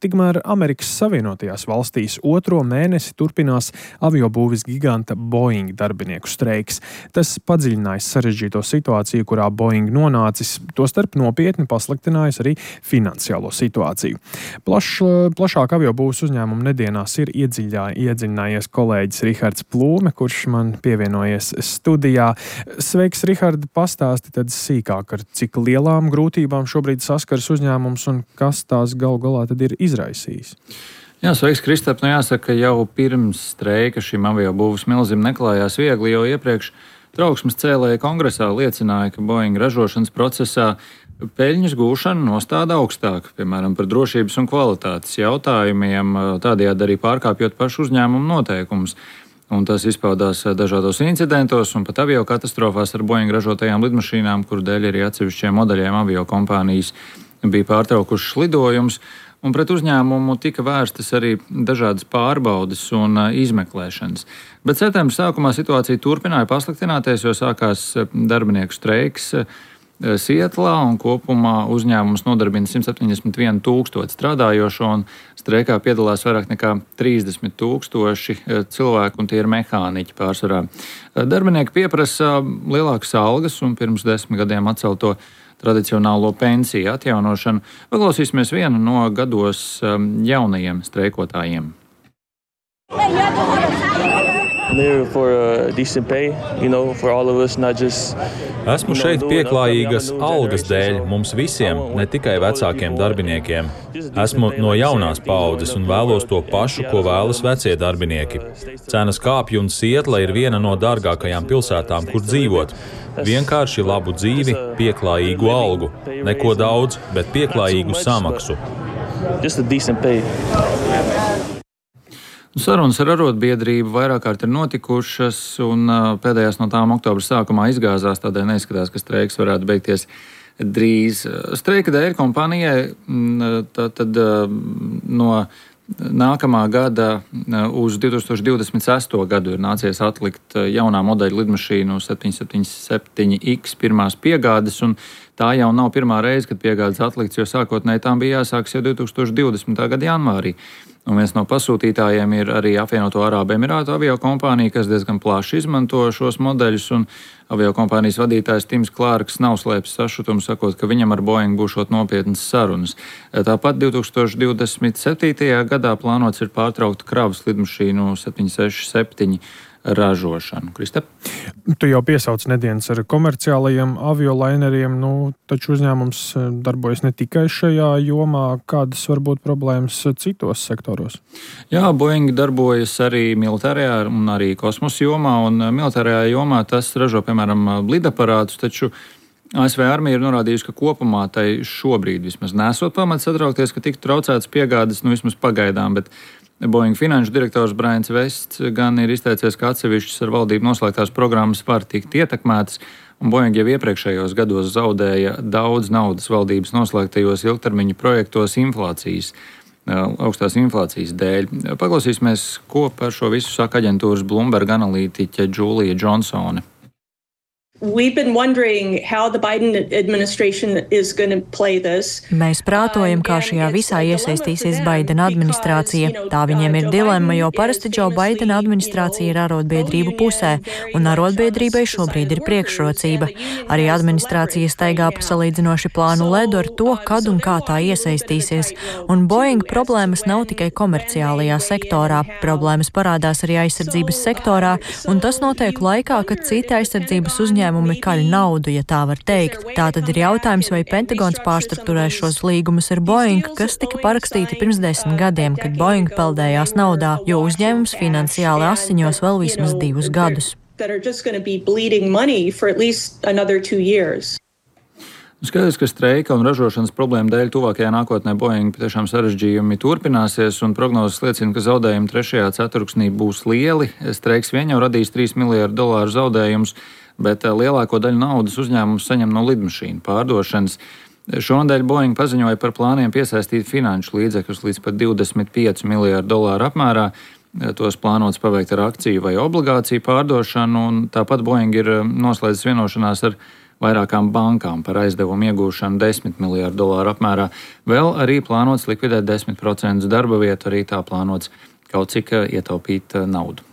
Tikmēr Amerikas Savienotajās valstīs otro mēnesi turpinās aviobūves giganta Boeing darbinieku streiks. Tas padziļinājis sarežģīto situāciju, kurā Boeing nonācis, tostarp nopietni pasliktinājis arī finansiālo situāciju. Plašāk aviobūves uzņēmumu nedienās ir iedziļinājies kolēģis Rihards Plūme, kurš man pievienojies studijā. Sveiks, Rihard, pastāsti tad sīkāk, ar cik lielām grūtībām šobrīd saskaras uzņēmums un kas tās galu galā tad ir izraisījis. Jā, sveiks, Kristap. Jāsaka, jau pirms streika šim aviobūves milzim neklājās viegli, jo iepriekš trauksmes cēlēji kongresā liecināja, ka Boeing ražošanas procesā peļņas gūšana nostāda augstāk, piemēram, par drošības un kvalitātes jautājumiem, tādējādi arī pārkāpjot pašu uzņēmumu noteikumus. Un tas izpaudās dažādos incidentos un pat aviokatastrofās ar Boeing ražotajām lidmašīnām, kuru dēļ arī atsevišķiem modeļiem aviokompānijas bija pārtraukušas lidojumus. Un pret uzņēmumu tika vērstas arī dažādas pārbaudes un izmeklēšanas. Bet septembra sākumā situācija turpināja pasliktināties, jo sākās darbinieku streiks Sietlā, un kopumā uzņēmums nodarbina 171 000 strādājošo, un streikā piedalās vairāk nekā 30 000 cilvēku, un tie ir mehāniķi pārsvarā. Darbinieki pieprasa lielākas algas un pirms 10 gadiem atcelto tradicionālo pensiju atjaunošanu. Paklausīsimies vienu no gados jaunajiem streikotājiem. Esmu šeit pieklājīgas algas dēļ mums visiem, ne tikai vecākiem darbiniekiem. Esmu no jaunās paaudzes un vēlos to pašu, ko vēlas vecie darbinieki. Cenas kāpj un Sietla ir viena no dārgākajām pilsētām, kur dzīvot. Vienkārši labu dzīvi, pieklājīgu algu. Neko daudz, bet pieklājīgu samaksu. Sarunas ar arotbiedrību vairāk kārt ir notikušas, un pēdējās no tām oktobra sākumā izgāzās, tādēļ neizskatās, ka streiks varētu beigties drīz. Streika dēļ kompānijai tad no nākamā gada uz 2026. gadu ir nācies atlikt jaunā modeļa lidmašīnu 777X pirmās piegādes, un tā jau nav pirmā reize, kad piegādes atlikts, jo sākotnēji tām bija jāsākas jau 2020. gada janvārī. Un viens no pasūtītājiem ir arī Apvienoto Arābu Emirātu aviokompānija, kas diezgan plaši izmanto šos modeļus, un aviokompānijas vadītājs Tims Klārks nav slēpis sašutumu, sakot, ka viņam ar Boeing būšot nopietnas sarunas. Tāpat 2027. gadā plānots ir pārtraukt kravas lidmašīnu 767 ražošanu. Kristap? Tu jau piesauc nedienas ar komerciālajiem aviolaineriem, taču uzņēmums darbojas ne tikai šajā jomā. Kādas var būt problēmas citos sektoros? Jā, Boeing darbojas arī militārajā un arī kosmosa jomā, un militārajā jomā tas ražo, piemēram, lidaparātus, taču ASV armija ir norādījusi, ka kopumā tai šobrīd vismaz nesot pamats satraukties, ka tiktu traucētas piegādes, vismaz pagaidām, bet Boeing finanšu direktors Brians Vests gan ir izteicies, ka atsevišķas ar valdību noslēgtās programmas var tikt ietekmētas, un Boeing jau iepriekšējos gados zaudēja daudz naudas valdības noslēgtajos ilgtermiņa projektos augstās inflācijas dēļ. Paklausīsimies, ko par šo visu saka aģentūras Bloomberg analītiķe Džūlija Džonsone. We've been wondering how the Biden administration is going to play this. Mēs prātojam, kā šajā visā iesaistīsies Baidena administrācija. Tā viņiem ir dilemma, jo parasti Džo Baidena administrācija ir arotbiedrību pusē, un arotbiedrībai šobrīd ir priekšrocība. Arī administrācija staigā pa salīdzinoši plānu ledu ar to, kad un kā tā iesaistīsies. Un Boeing problēmas nav tikai komerciālajā sektorā. Problēmas parādās arī aizsardzības sektorā, un tas notiek laikā, kad citi aizsardzības uzņēmumi kaļ naudu, ja tā var teikt. Tā tad ir jautājums, vai Pentagons pārstrukturēs šos līgumus ar Boeing, kas tika parakstīti pirms 10 gadiem, kad Boeing peldējās naudā, jo uzņēmums finansiāli asiņos vēl vismaz 2 gadus. Skaidrs, ka streika un ražošanas problēmu dēļ tuvākajā nākotnē Boeing patiešām sarežģījumi turpināsies, un prognozes liecina, ka zaudējumi 3. ceturksnī būs lieli. Streiks vien jau radīs $3 miljardu zaudējumus, bet lielāko daļu naudas uzņēmums saņem no lidmašīnu pārdošanas. Šonadēļ Boeing paziņoja par plāniem piesaistīt finanšu līdzekļus līdz pat $25 miljardu apmērā. Tos plānots paveikt ar akciju vai obligāciju pārdošanu, un tāpat Boeing ir noslēdzis vienošanās ar vairākām bankām par aizdevumu iegūšanu $10 miljardu apmērā. Vēl arī plānots likvidēt 10% darba vietu, arī tā plānots kaut cik ietaupīt naudu.